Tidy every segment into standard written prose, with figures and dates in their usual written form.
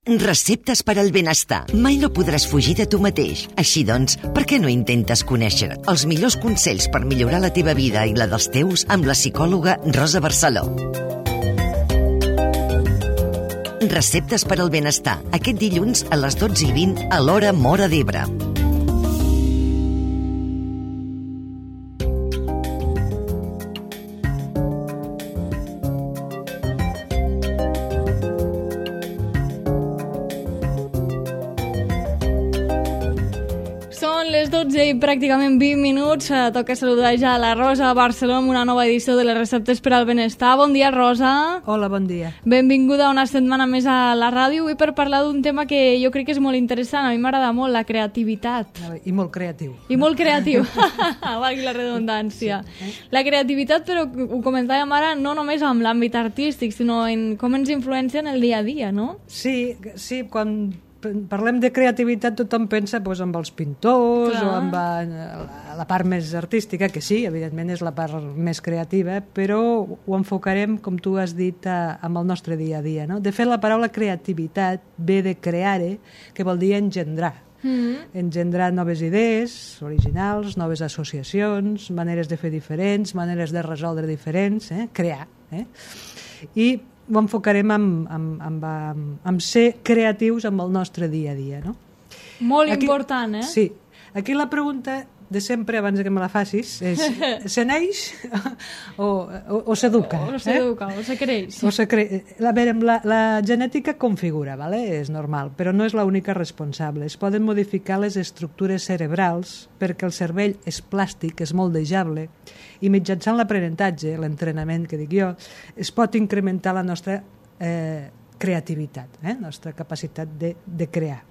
Receptes per al benestar. Mai no podràs fugir de tu mateix. Així doncs, per què no intentes conèixer els millors consells per millorar la teva vida i la dels teus amb la psicòloga Rosa Barceló? Receptes per al benestar. Aquest dilluns a les 12:20 a l'hora Móra d'Ebre. Són les 12 i pràcticament 20 minuts. Toca saludar ja a la Rosa Barceló amb una nova edició de les receptes per al benestar. Bon dia, Rosa. Hola, bon dia. Benvinguda una setmana més a la ràdio. Avui per parlar d'un tema que jo crec que és molt interessant. A mi m'agrada molt, la creativitat. I molt creatiu. I molt creatiu. Valgui la redundància. Sí. La creativitat, però ho comentàvem ara, no només amb l'àmbit artístic, sinó en com ens influencia en el dia a dia, no? Sí, quan parlem de creativitat tothom pensa doncs, amb els pintors o amb la part més artística, que sí, evidentment és la part més creativa, però ho enfocarem, com tu has dit, amb el nostre dia a dia. No? De fet, la paraula creativitat ve de creare, que vol dir engendrar. Engendrar noves idees originals, noves associacions, maneres de fer diferents, maneres de resoldre diferents, crear. I ho enfocarem amb ser creatius amb el nostre dia a dia, no? Molt important, eh? Sí. Aquí la pregunta de sempre, abans que me la facis, és se neix o s'educa? O s'educa, o se creix. A veure, la genètica configura, ¿vale? És normal, però no és l'única responsable. Es poden modificar les estructures cerebrals perquè el cervell és plàstic, és moldejable, i mitjançant l'aprenentatge, l'entrenament que dic jo, es pot incrementar la nostra creativitat, nostra capacitat de crear.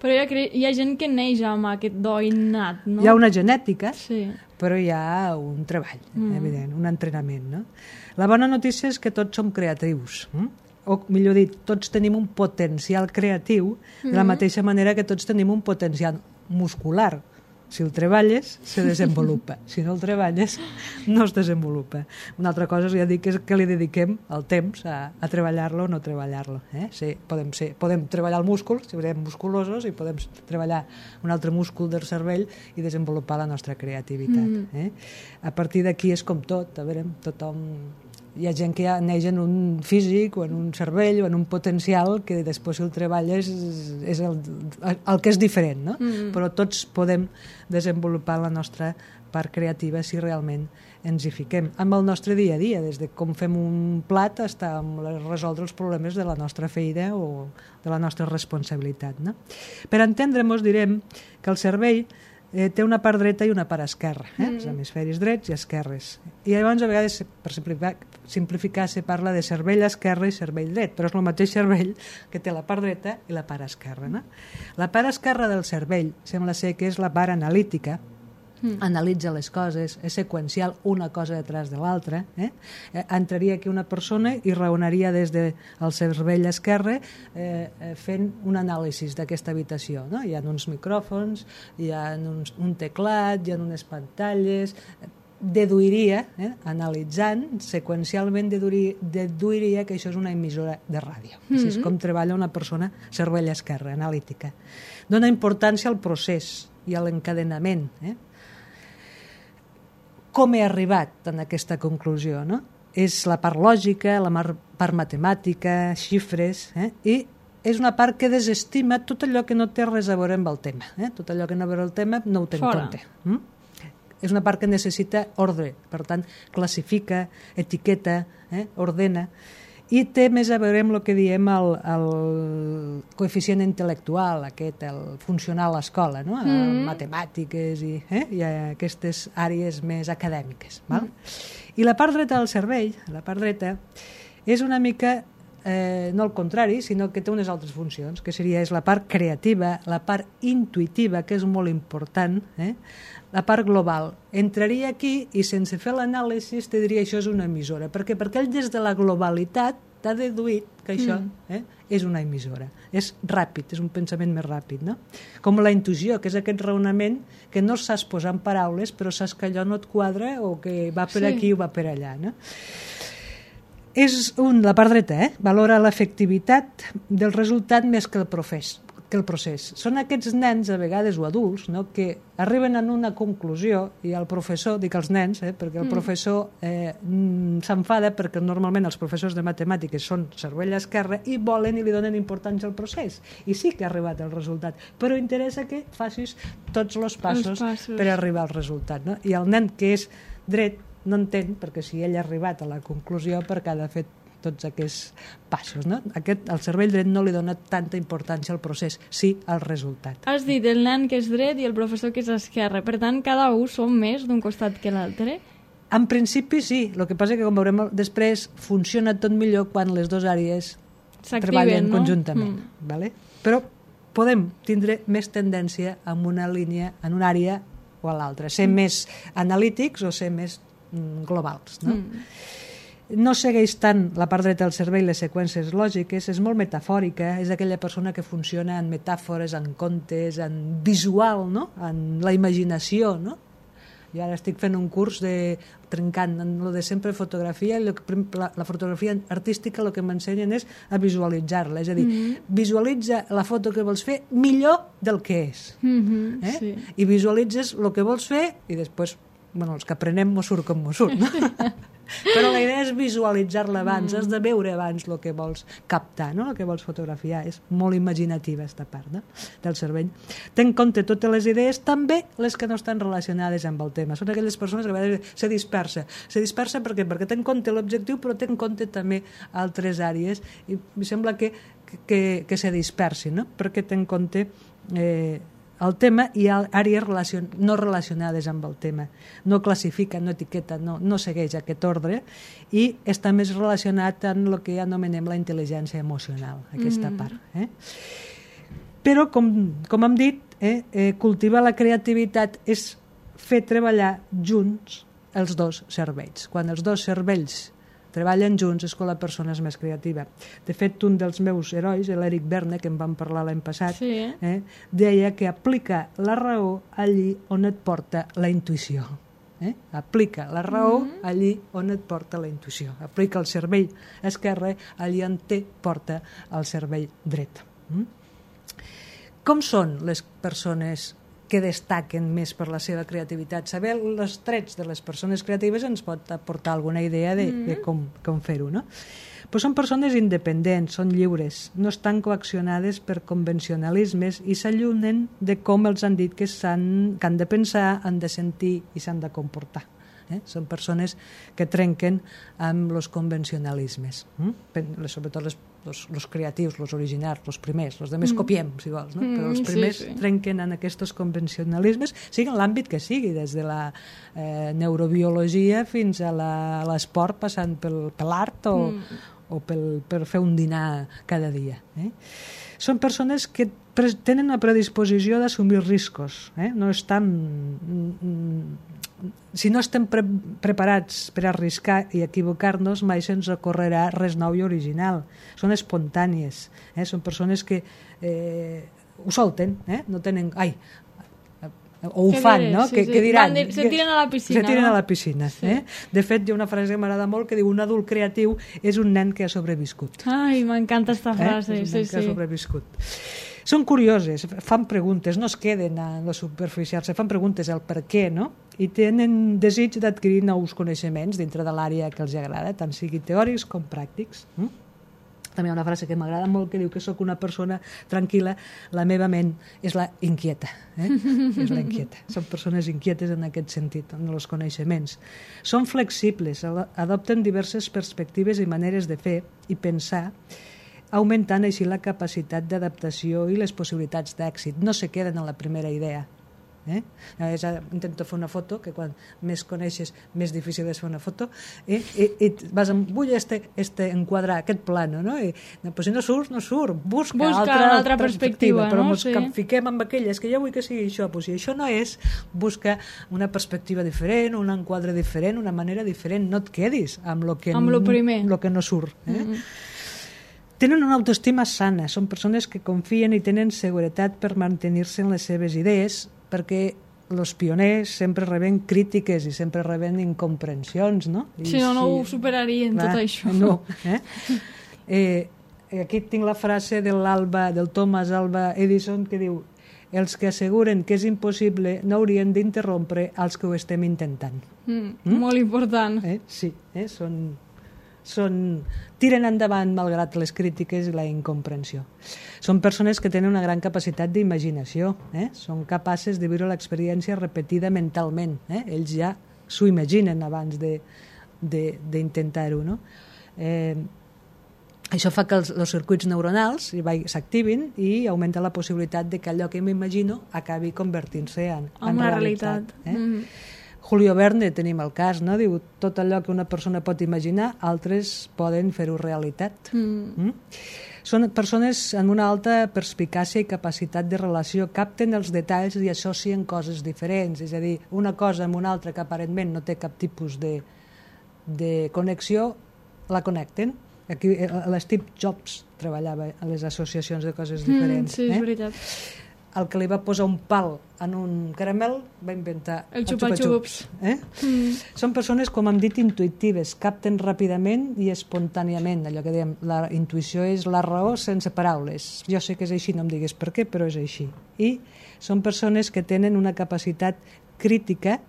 Però hi ha gent que neix amb aquest do innat, no? Hi ha una genètica, sí, però hi ha un treball, evident, un entrenament. No? La bona notícia és que tots som creatius, o millor dit, tots tenim un potencial creatiu de la mateixa manera que tots tenim un potencial muscular. Si el treballes, se desenvolupa. Si no el treballes, no es desenvolupa. Una altra cosa, ja dic, és que li dediquem el temps a treballar-lo o no treballar-lo. Sí, podem treballar el múscul, si serem musculosos, i podem treballar un altre múscul del cervell i desenvolupar la nostra creativitat. A partir d'aquí és com tot. A veure, tothom... Hi ha gent que ja neix en un físic o en un cervell o en un potencial que després si el treballes és el que és diferent, no? Però tots podem desenvolupar la nostra part creativa si realment ens hi fiquem. Amb el nostre dia a dia, des de com fem un plat fins a resoldre els problemes de la nostra feina o de la nostra responsabilitat. No? Per entendre-nos direm que el cervell té una part dreta i una part esquerra, els hemisferis drets i esquerres. I llavors a vegades, per simplificar, se parla de cervell esquerre i cervell dret, però és el mateix cervell que té la part dreta i la part esquerra. No? La part esquerra del cervell sembla ser que és la part analítica, analitza les coses, és seqüencial una cosa detrás de l'altra. Entraria aquí una persona i raonaria des del cervell esquerre fent un anàlisi d'aquesta habitació. No? Hi ha uns micròfons, hi ha un teclat, hi ha unes pantalles... Deduiria, analitzant, seqüencialment deduiria que això és una emissora de ràdio. Així és com treballa una persona cervell esquerre, analítica. Dona importància al procés i a l'encadenament. Com he arribat en aquesta conclusió? No? És la part lògica, la part matemàtica, xifres, i és una part que desestima tot allò que no té res a veure amb el tema. Tot allò que no ve el tema no ho té en compte. És una part que necessita ordre, per tant, classifica, etiqueta, ordena, i té més a veure amb el que diem el coeficient intel·lectual, el funcionar a l'escola, no? Matemàtiques i aquestes àrees més acadèmiques. Val? I la part dreta del cervell, la part dreta, és una mica no el contrari, sinó que té unes altres funcions, que és la part creativa, la part intuïtiva, que és molt important, la part global. Entraria aquí i sense fer l'anàlisi te diria això és una emissora. Per què? Perquè ell des de la globalitat t'ha deduït que això és una emissora. És ràpid, és un pensament més ràpid. No? Com la intuïció, que és aquest raonament que no saps posar en paraules, però saps que allò no et quadra o que va per aquí o va per allà. No? És la part dreta, valora l'efectivitat del resultat més que el procés. Són aquests nens, a vegades, o adults, no?, que arriben a una conclusió i el professor, dic els nens, perquè el professor s'enfada perquè normalment els professors de matemàtiques són cervell esquerre i volen i li donen importància al procés. I sí que ha arribat el resultat, però interessa que facis tots els passos per arribar al resultat. No? I el nen que és dret no entén, perquè si ell ha arribat a la conclusió perquè ha de fer tots aquests passos. No? El cervell dret no li dona tanta importància al procés, sí al resultat. Has dit el nen que és dret i el professor que és esquerre. Per tant, cada un som més d'un costat que l'altre? En principi sí. El que passa que, com veurem després, funciona tot millor quan les dues àrees treballen conjuntament. Vale? Però podem tindre més tendència en una línia, en una àrea o a l'altra. Ser més analítics o ser més globals. No? No segueix tant la part dreta del cervell les seqüències lògiques, és molt metafòrica, és aquella persona que funciona en metàfores, en contes, en visual, no? En la imaginació. No? Jo ara estic fent un curs trencant en lo de sempre fotografia, i la fotografia artística el que m'ensenyen és a visualitzar-la, és a dir, visualitza la foto que vols fer millor del que és. Sí. I visualitzes el que vols fer i després, els que aprenem mos surt com mos surt, no? Però la idea és visualitzar-la abans, has de veure abans el que vols captar, no? El que vols fotografiar. És molt imaginativa aquesta part, no? Del cervell. Té en compte totes les idees, també les que no estan relacionades amb el tema. Són aquelles persones que a vegades se dispersa. Se dispersa perquè té en compte l'objectiu, però té en compte també altres àrees, i em sembla que se dispersi, no? Perquè té en compte el tema i àrees no relacionades amb el tema. No classifica, no etiqueta, no segueix aquest ordre i està més relacionat amb el que anomenem la intel·ligència emocional, aquesta part. Però, com hem dit, cultivar la creativitat és fer treballar junts els dos cervells. Quan els dos cervells treballen junts és quan la persona és més creativa. De fet, un dels meus herois, l'Eric Berne, que en vam parlar l'any passat, deia que aplica la raó allí on et porta la intuïció. Aplica la raó allí on et porta la intuïció. Aplica el cervell esquerre allí on porta el cervell dret. Com són les persones que destaquen més per la seva creativitat? Saber els trets de les persones creatives ens pot aportar alguna idea de com fer-ho, no? Però són persones independents, són lliures, no estan coaccionades per convencionalismes i s'allunyen de com els han dit que han de pensar, han de sentir i s'han de comportar. Són persones que trenquen amb els convencionalismes, sobretot els creatius, els originals, els primers, els altres copiem, si vols, no? Però els primers trenquen en aquests convencionalismes, sigui en l'àmbit que sigui, des de la neurobiologia fins a l'esport, passant per l'art o per fer un dinar cada dia. Són persones que tenen una predisposició d'assumir riscos, no estan... Si no estem preparats per arriscar i equivocar-nos, mai se'ns ocorrerà res nou i original. Són espontànies, són persones que ho solten, no tenen... o ho fan, no? Què diran? Se tiren a la piscina. Se tiren a la piscina. De fet, hi ha una frase que m'agrada molt que diu: un adult creatiu és un nen que ha sobreviscut. Ai, m'encanta aquesta frase. És un nen que ha sobreviscut. Són curioses, fan preguntes, no es queden a la superficial, se fan preguntes al per què, no? I tenen desig d'adquirir nous coneixements dintre de l'àrea que els agrada, tant sigui teòrics com pràctics. També hi ha una frase que m'agrada molt que diu que sóc una persona tranquil·la, la meva ment és la inquieta. És la inquieta. Són persones inquietes en aquest sentit, en els coneixements. Són flexibles, adopten diverses perspectives i maneres de fer i pensar, augmentant així la capacitat d'adaptació i les possibilitats d'èxit. No se queden en la primera idea. Intento fer una foto, que quan més coneixes més difícil és fer una foto, i vas amb, vull enquadrar aquest plano, no? Però si no surt, no surt, busca una altra perspectiva, però que fiquem amb aquelles que jo vull que sigui això, però si això no és, busca una perspectiva diferent, un enquadre diferent, una manera diferent, no et quedis amb lo que no surt. Tenen una autoestima sana, són persones que confien i tenen seguretat per mantenir-se en les seves idees, perquè els pioners sempre reben crítiques i sempre reben incomprensions, no? Sí, no ho superarien, tot això. No, aquí tinc la frase del Thomas Alva Edison, que diu: els que asseguren que és impossible no haurien d'interrompre els que ho estem intentant. Molt important. Sí, tiren endavant malgrat les crítiques i la incomprensió. Són persones que tenen una gran capacitat d'imaginació, són capaces de viure l'experiència repetida mentalment. Ells ja s'ho imaginen abans d'intentar-ho, no? Això fa que els circuits neuronals s'activin i augmenta la possibilitat de que allò que m'imagino acabi convertint-se en una realitat. Julio Verne tenim el cas, no? Diu, tot allò que una persona pot imaginar, altres poden fer-ho realitat. Són persones amb una alta perspicàcia i capacitat de relació, capten els detalls i associen coses diferents, és a dir, una cosa amb una altra que aparentment no té cap tipus de connexió, la connecten. Aquí l'Steve Jobs treballava a les associacions de coses diferents. Sí, és veritat. El que li va posar un pal en un caramel va inventar el xupa-xups. Són persones, com hem dit, intuïtives, capten ràpidament i espontàniament. Allò que dèiem, la intuïció és la raó sense paraules. Jo sé que és així, no em digues per què, però és així. I són persones que tenen una capacitat crítica,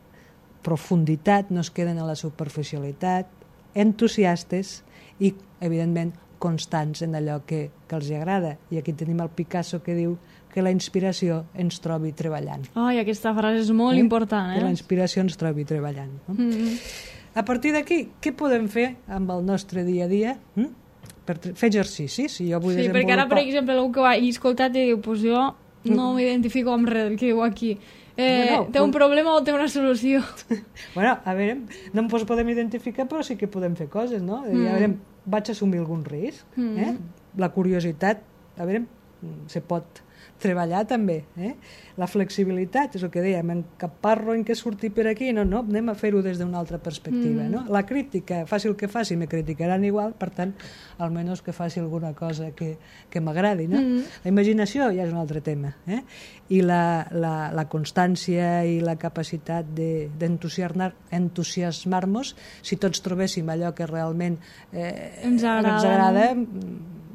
profunditat, no es queden a la superficialitat, entusiastes i, evidentment, constants en allò que els agrada. I aquí tenim el Picasso que diu que la inspiració ens trobi treballant. Ai, aquesta frase és molt important, Que la inspiració ens trobi treballant. A partir d'aquí, què podem fer amb el nostre dia a dia? Per fer exercicis. Si jo vull desenvolupar... perquè ara, per exemple, algú que ho hagi escoltat i diu, pues jo no m'identifico amb res del que diu aquí. Té un problema o té una solució? Bueno, a veure, no ens podem identificar, però sí que podem fer coses, no? A veure, vaig assumir algun risc. La curiositat, a veure, se pot treballar també. La flexibilitat, és el que dèiem, encaparro en què surti per aquí, no, anem a fer-ho des d'una altra perspectiva. La crítica, faci el que faci, me criticaran igual, per tant, almenys que faci alguna cosa que m'agradi. La imaginació ja és un altre tema. I la constància i la capacitat d'entusiasmar-nos, si tots trobéssim allò que realment ens agrada,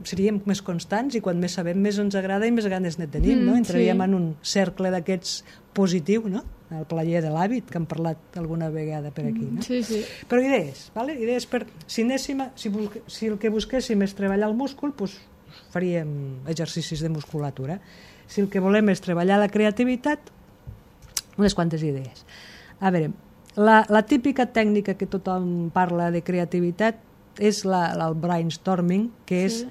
seríem més constants i quan més sabem més ens agrada i més ganes ne tenim, no? Entraríem en un cercle d'aquests positiu, no? El plaer de l'hàbit, que hem parlat alguna vegada per aquí, no? Sí. Però idees, ¿vale? Idees per... Si el que busquéssim és treballar el múscul, doncs faríem exercicis de musculatura. Si el que volem és treballar la creativitat, unes quantes idees. A veure, la típica tècnica que tothom parla de creativitat és el brainstorming, que és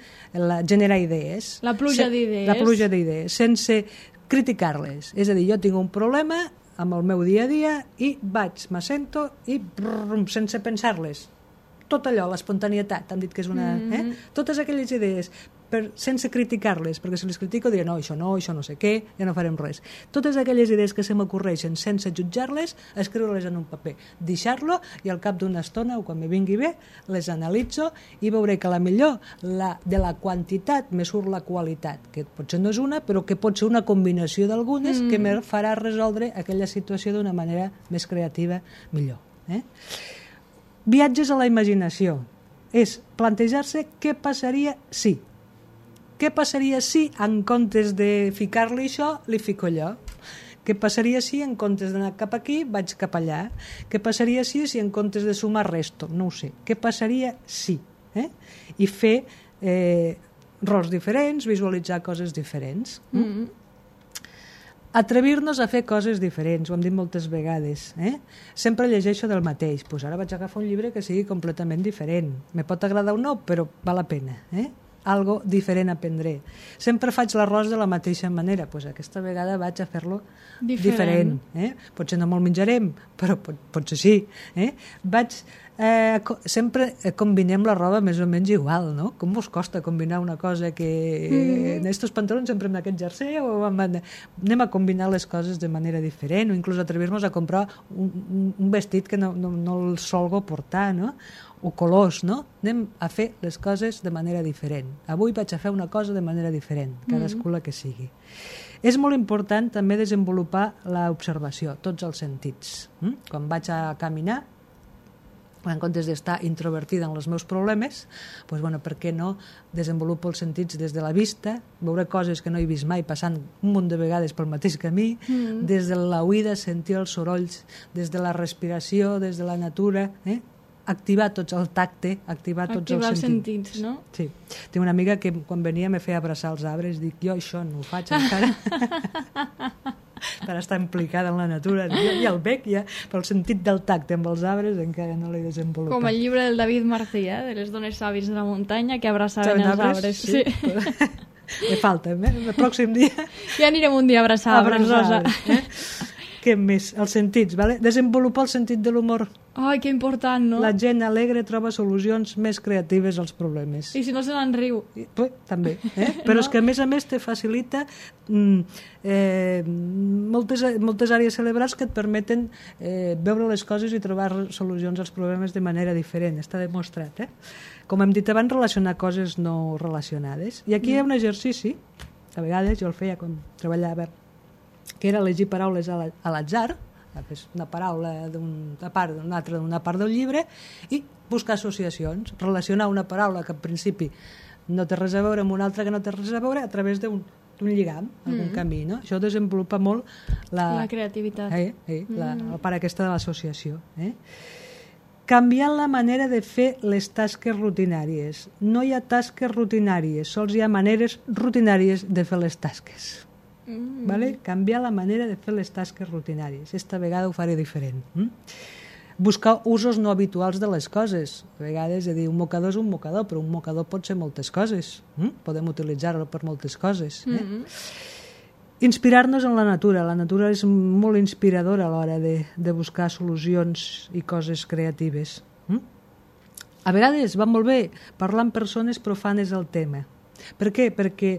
generar idees. La pluja d'idees. La pluja d'idees, sense criticar-les. És a dir, jo tinc un problema amb el meu dia a dia i m'assento i sense pensar-les. Tot allò, l'espontanietat, han dit que és una... Totes aquelles idees, sense criticar-les, perquè si les critico diré no, això no sé què, ja no farem res. Totes aquelles idees que se m'ocorreixen sense jutjar-les, escriure-les en un paper, deixar-lo i al cap d'una estona o quan me vingui bé, les analitzo i veuré que la millor de la quantitat me surt la qualitat, que potser no és una, però que pot ser una combinació d'algunes que me farà resoldre aquella situació d'una manera més creativa millor. Viatges a la imaginació és plantejar-se què passaria si. Què passaria si, en comptes de ficar-li això, li fico allò? Què passaria si, en comptes d'anar cap aquí, vaig cap allà? Què passaria si en comptes de sumar resto? No ho sé. Què passaria si? I fer rols diferents, visualitzar coses diferents. Atrevir-nos a fer coses diferents, ho hem dit moltes vegades. Sempre llegeixo del mateix. Pues ara vaig agafar un llibre que sigui completament diferent. Me pot agradar o no, però val la pena. Algo diferent aprendré. Sempre faig l'arròs de la mateixa manera, doncs aquesta vegada vaig a fer-lo diferent. Potser no me'l menjarem, però potser sí. Sempre combinem la roba més o menys igual, no? Com us costa combinar una cosa que... En estos pantalons sempre amb aquest jersei o anem a combinar les coses de manera diferent o inclús atrevir-nos a comprar un vestit que no el solgo portar, no? o colors, no? Anem a fer les coses de manera diferent. Avui vaig a fer una cosa de manera diferent, cadascú la que sigui. És molt important també desenvolupar l'observació, tots els sentits. Quan vaig a caminar, en comptes d'estar introvertida en els meus problemes, doncs, bueno, per què no desenvolupo els sentits des de la vista, veure coses que no he vist mai passant un munt de vegades pel mateix camí, des de l'oïda sentir els sorolls, des de la respiració, des de la natura, activar tots el tacte, activar tots els sentits, no? Sí. Tinc una amiga que quan venia me feia abraçar els arbres, dic, jo això no ho faig encara. Per estar implicada en la natura. Jo ja el veig, ja, però el sentit del tacte amb els arbres encara no l'he desenvolupat. Com el llibre del David Martí, de les dones sàvies de la muntanya que abraçaven els arbres. Sí. Me falta, el pròxim dia... Ja anirem un dia a abraçar arbres, Rosa. Què més? Els sentits, vale? Desenvolupar el sentit de l'humor. Ai, que important, no? La gent alegre troba solucions més creatives als problemes. I si no se n'en riu. També, però no? És que a més te facilita moltes àrees cerebrals que et permeten veure les coses i trobar solucions als problemes de manera diferent. Està demostrat, Com hem dit abans, relacionar coses no relacionades. I aquí hi ha un exercici, a vegades jo el feia quan treballava, que era elegir paraules a l'atzar, una paraula d'una part del llibre, i buscar associacions, relacionar una paraula que en principi no té res a veure amb una altra que no té res a veure a través d'un lligam, algun camí, no? Això desenvolupa molt la creativitat. La part aquesta de l'associació. Canviant la manera de fer les tasques rutinàries. No hi ha tasques rutinàries, sols hi ha maneres rutinàries de fer les tasques. Vale? Canviar la manera de fer les tasques rutinàries. Esta vegada ho faré diferent. Buscar usos no habituals de les coses. A vegades dir un mocador és un mocador, però un mocador pot ser moltes coses. Podem utilitzar-lo per moltes coses. Inspirar-nos en la natura. La natura és molt inspiradora a l'hora de buscar solucions i coses creatives. A vegades va molt bé parlar amb persones profanes del tema. Per què? Perquè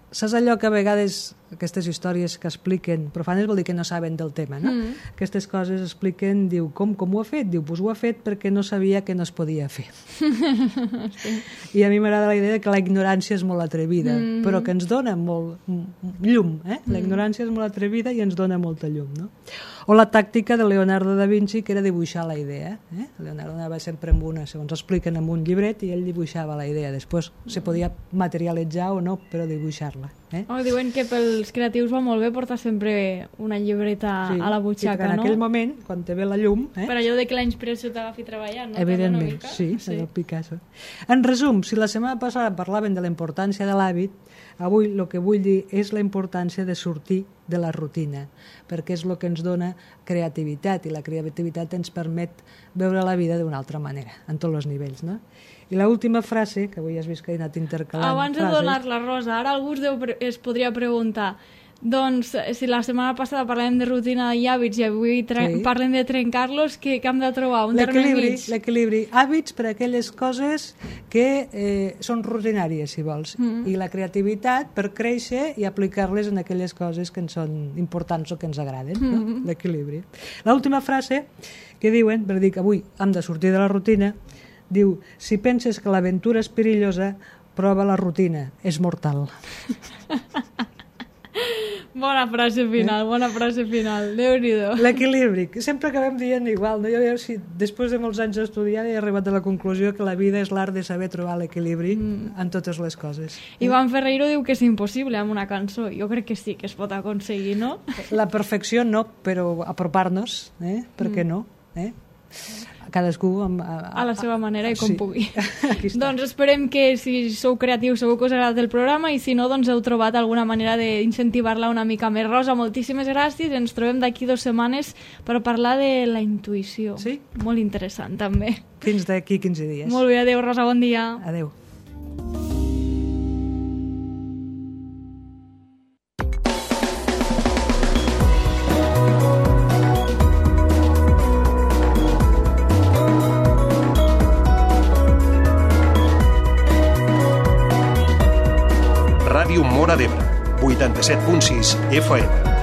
saps allò que a vegades aquestes històries que expliquen profanes vol dir que no saben del tema, no? Aquestes coses expliquen, diu, com ho ha fet? Diu, doncs ho ha fet perquè no sabia que no es podia fer. I a mi m'agrada la idea que la ignorància és molt atrevida, però que ens dona molt llum, La ignorància és molt atrevida i ens dona molta llum, no? O la tàctica de Leonardo da Vinci, que era dibuixar la idea. Leonardo anava sempre amb una, segons expliquen, amb un llibret, i ell dibuixava la idea. Després se podia materialitzar o no, però dibuixar-la. Diuen que pels creatius va molt bé portar sempre una llibreta a la butxaca, no? En aquell moment, quan te ve la llum... Per allò de que la inspiració t'agafi treballant, no? Evidentment, sí, el Picasso. En resum, si la setmana passada parlaven de la importància de l'hàbit, avui el que vull dir és la importància de sortir de la rutina, perquè és el que ens dona creativitat, i la creativitat ens permet veure la vida d'una altra manera, en tots els nivells, no? I l'última frase, que avui has vist que he anat intercalant abans de donar-la, Rosa, ara algú es podria preguntar, doncs, si la setmana passada parlem de rutina i hàbits i avui parlem de trencar-los, què hem de trobar? Un terme mig? L'equilibri. Hàbits per a aquelles coses que són rutinàries, si vols, i la creativitat per créixer i aplicar-les en aquelles coses que ens són importants o que ens agraden, no? L'equilibri. L'última frase que diuen, per dir que avui hem de sortir de la rutina, diu, si penses que l'aventura és perillosa, prova la rutina, és mortal. Bona frase final, Déu-n'hi-do. L'equilibri, que sempre acabem dient igual, no? Jo, si després de molts anys d'estudiar he arribat a la conclusió que la vida és l'art de saber trobar l'equilibri en totes les coses. Iván Ferreiro diu que és impossible amb una cançó. Jo crec que sí, que es pot aconseguir, no? La perfecció no, però apropar-nos, per què no? Cadascú a la seva manera i com pugui. Doncs esperem que si sou creatius segur que us agrada el programa, i si no, doncs heu trobat alguna manera d'incentivar-la una mica més. Rosa, moltíssimes gràcies, ens trobem d'aquí 2 setmanes per parlar de la intuïció. Sí? Molt interessant també. Fins d'aquí 15 dies. Molt bé, adeu Rosa, bon dia. Adeu. Ràdio Móra d'Ebre, 87.6 FM.